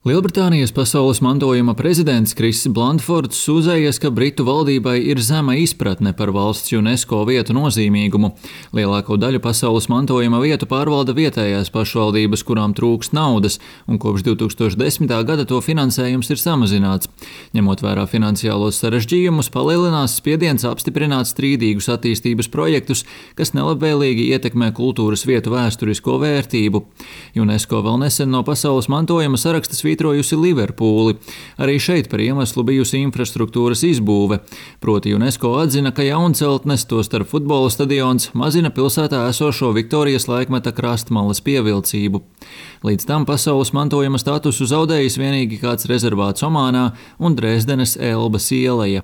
Lielbritānijas pasaules mantojuma prezidents Kriss Blandfords sūdzējies, ka Britu valdībai ir zema izpratne par valsts UNESCO vietu nozīmīgumu. Lielāko daļu pasaules mantojuma vietu pārvalda vietējās pašvaldības, kurām trūkst naudas, un kopš 2010. gada to finansējums ir samazināts. Ņemot vērā finansiālos sarežģījumus, palielinās spiediens apstiprināt strīdīgus attīstības projektus, kas nelabvēlīgi ietekmē kultūras vietu vēsturisko vērtību. UNESCO vēl nesen no pasaules mantojuma saraksta svītrojusi Liverpūli. Arī šeit par iemeslu bijusi infrastruktūras izbūve. Proti UNESCO atzina, ka jaunceltnes, tostarp futbola stadions, mazina pilsētā esošo Viktorijas laikmeta krastmalas pievilcību. Līdz tam pasaules mantojuma statusu zaudējis vienīgi kāds rezervāts Omānā un Dresdenes Elbas ieleja.